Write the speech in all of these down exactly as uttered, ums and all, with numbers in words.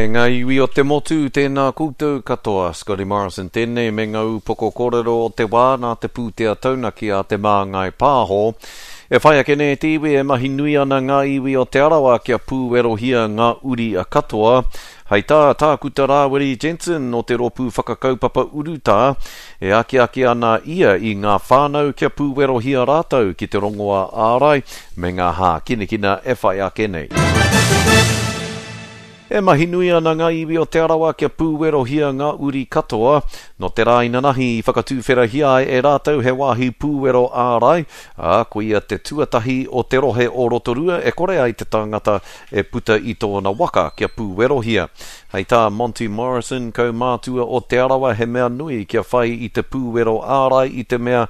E ngā iwi o te motu, tēnā koutou katoa. Scotty Morrison tēnei me ngā upoko kōrero o te wā nā te pūtea taunaki a Te Māngai Pāho. E whai ake nei te iwi e mahi nui ana ngā iwi o Te Arawa kia pūwerohia ngā uri katoa. Hei tā Tākuta Rāwiri Jensen o te rōpū whakakaupapa urutā, e akiaki ana ia i ngā whānau kia pūwerohia rātou ki te rongoā ārai me ngā hākinakina e whai ake nei. E mahi nui ana ngā iwi o Te Arawa kia pūwerohia ngā uri katoa. Nō te rā inanahi i whakatūwherahia ai e rātou he wāhi pūwero ārai, ā, koia te tuatahi o te rohe o Rotorua e kore ai te tangata e puta i tōna waka kia pūwerohia. Hei tā Monty Morrison, kaumātua o Te Arawa, he mea nui kia whai i te pūwero ārai i te mea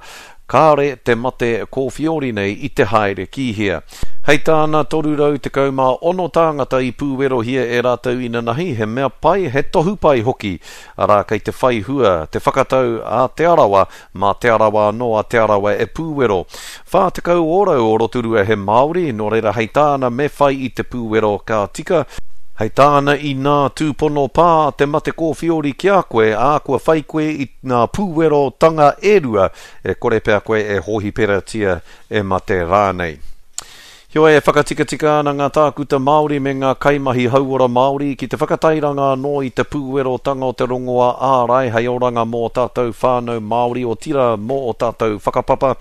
kāre te mate kōwhiori nei i te haere ki hea. Hei tāna toru rau tekau mā ono tāngata i pūwerohia e rātou inanahi, he mea pai, he tohu pai hoki. Arā, kei te whai hua, te whakatau a Te Arawa, mā Te Arawa anō a Te Arawa e pūwero. Whā tekau ōrau o Rotorua he Māori, nō reira hei tāna me whai i te pūwero ka tika. Hei tāna inā tūpono pā te mate kōwhiori ki a koe, ā, kua whai koe i ngā pūwerotanga e rua, e kore pea koe e hōhiperatia e mate rānei. Heoi, e whakatikatika ana ngā tākuta Māori me ngā kaimahi hauora Māori ki te whakatairanga anō i te pūwerotanga o te rongoā ārai hei oranga mō tātou whānau Māori otirā mō o tātou whakapapa.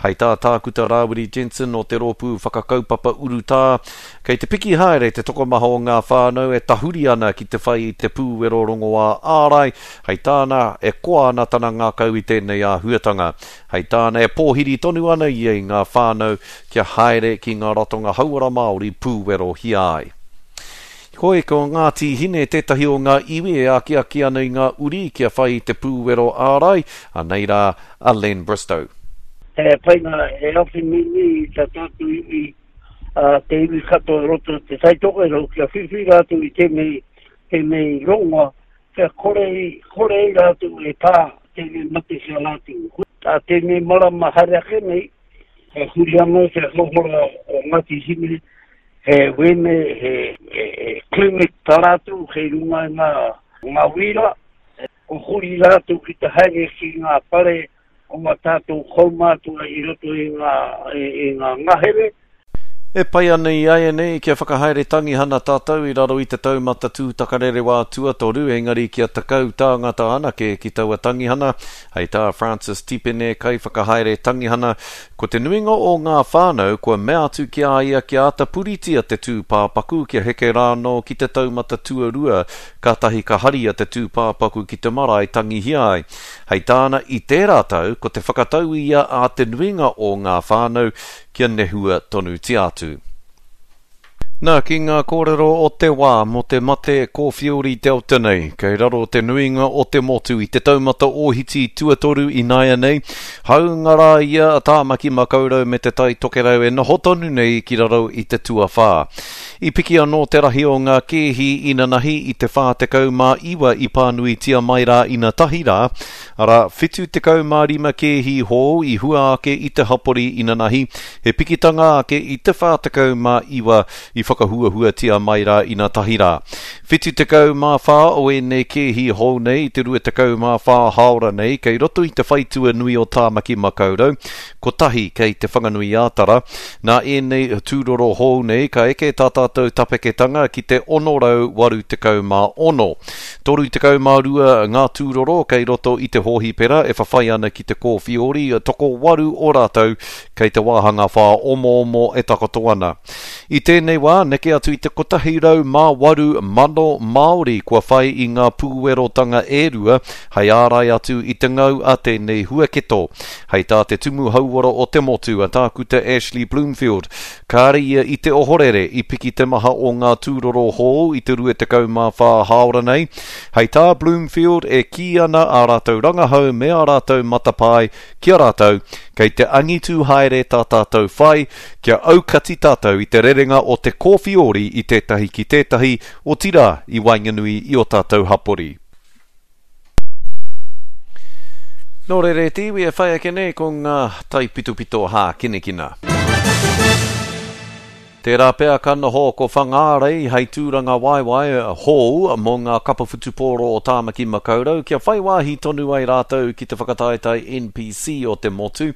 Hei tā Tākuta Rāwiri Jensen o te rōpū whakakaupapa urutā, kei te piki haere te tokomaha o ngā whānau e tahuri ana ki te whai i te pūwero rongoā ārai, hei tāna e koa ana tana ngākau i tēnei āhuatanga. Hei tāna e pōhiri tonu ana ia i ngā whānau kia haere ki ngā ratonga hauora Māori pūwerohia ai. Hoi, ko Ngāti Hine tētahi o ngā iwi e akiaki ana i ngā uri kia whai i te pūwero ārai, anei rā a Len Bristow. He painga e awhi nui i tā tātou iwi, uh, te iwi katoa i roto te Taitokerau, kia whiwhi rātou i tēnei, tēnei rongoa, kia kore, kore i rātou e pā tēnei mate ki a rātou. Tā tēnei marama haere ake nei, he huri anō te hauora o Ngāti Hine, he wene, he, he, he clinic tā rātou kei runga i ngā, ngā wīra, ko huri rātou ki te haere ki ngā whare o ngā tātou kaumātua i roto i ngā, i, i ngā ngahere. E pai ana i āianei kia whakahaere tangihana tātou i raro i te taumata tūtakarerewā tuatoru, engari kia tekau tāngata anake ki taua tangihana. Hei tā Francis Tipene kaiwhakahaere tangihana, ko te nuinga o ngā whānau kua mea atu ki a ia kia āta puritia te tūpāpaku kia heke rānō ki te taumata tuarua, kātahi ka haria te tūpāpaku ki te marae tangihia ai. Hei tāna i tērā tau, ko te whakatau ia a te nuinga o ngā whānau kia nehua tonutia atu. Nā, ki ngā kōrero o te wā mō te mate kōwhiori Delta nei, kei raro te nuinga o te motu i te taumata ōhiti tuatoru ināianei, hāunga rā ia a Tāmaki Makaurau me te Tai Tokerau e noho tonu nei ki raro i te tuawhā. I piki anō te rahi o ngā kēhi inanahi i te whā tekau mā iwa i pānuitia mai rā inatahi rā, arā whitu tekau mā rima kēhi hou i hua ake i te hapori inanahi, he pikitanga ake i te whā tekau mā iwa i whakahuahuatia mai rā inatahi rā. Whitu tekau mā whā o ēnei kēhi hou nei i te rua tekau mā whā hāora nei kei roto i te whaitua nui o Tāmaki Makaurau, kotahi kei te Whanganui-ā-Tara. Nā ēnei tūroro hou nei ka eke tā tātou tapeketanga ki te ono rau waru tekau mā ono. Toru tekau mā rua ngā tūroro kei roto i te hōhipera e whawhai ana ki te kōwhiori, toko waru o rātou kei te wāhanga whā omoomo e takoto ana. I tēnei wā, neke atu i te kotahi rau mā waru mano Māori kua whai i ngā pūwerotanga e rua hei ārai atu i te ngau a tēnei huaketo. Hei tā te tumu hauora o te motu a Tākuta Ashley Bloomfield, kāre ia i te ohorere i piki te maha o ngā tūroro hou i te rua tekau mā whā hāora nei. Hei tā Bloomfield e kī ana ā rātou rangahau me ā rātou matapae ki a rātou, kei te angitu haere tā tātou whai, kia aukati tātou i te rerenga o te kōwhiori i tētahi ki tētahi, otirā i waenganui i o tātou hapori. Nō reira e te iwi e whai ake nei ko ngā taipitopito hākinakina. Tērā pea ka noho ko Whangārei hei tūranga waewae hou mō ngā kapa whutupōro o Tāmaki Makaurau kia whai wāhi tonu ai rātou ki te whakataetae N P C o te motu.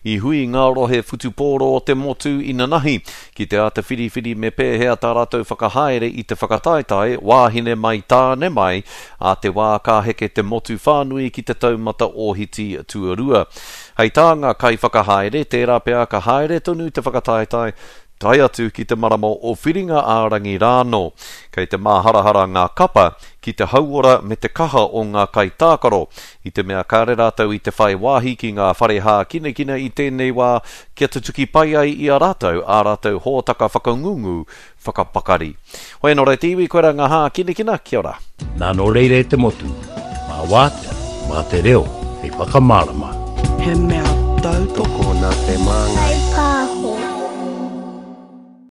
I hui ngā rohe whutupōro o te motu inanahi ki te āta whiriwhiri me pēhea tā rātou whakahaere i te whakataetae wāhine mai tāne mai a te wā ka heke te motu whānui ki te taumata ōhiti tuarua. Hei tā ngā kaiwhakahaere, tērā pea ka haere tonu te whakataetae tae atu ki te marama o Whiringa ā-rangi rānō. Kei te māharahara ngā kapa ki te hauora me te kaha o ngā kaitākaro, i te mea kāre rātou i te whai wāhi ki ngā whare hākinakina i tēnei wā kia tutuki pai ai i a rātou ā rātou hōtaka whakangungu whakapakari. Hoi anō rei te iwi, koe rā ngā hākinakina, kia ora. Nā nō reira e te motu, mā wātea, mā te reo, hei whakamārama. He mea tautoko nā te māngai.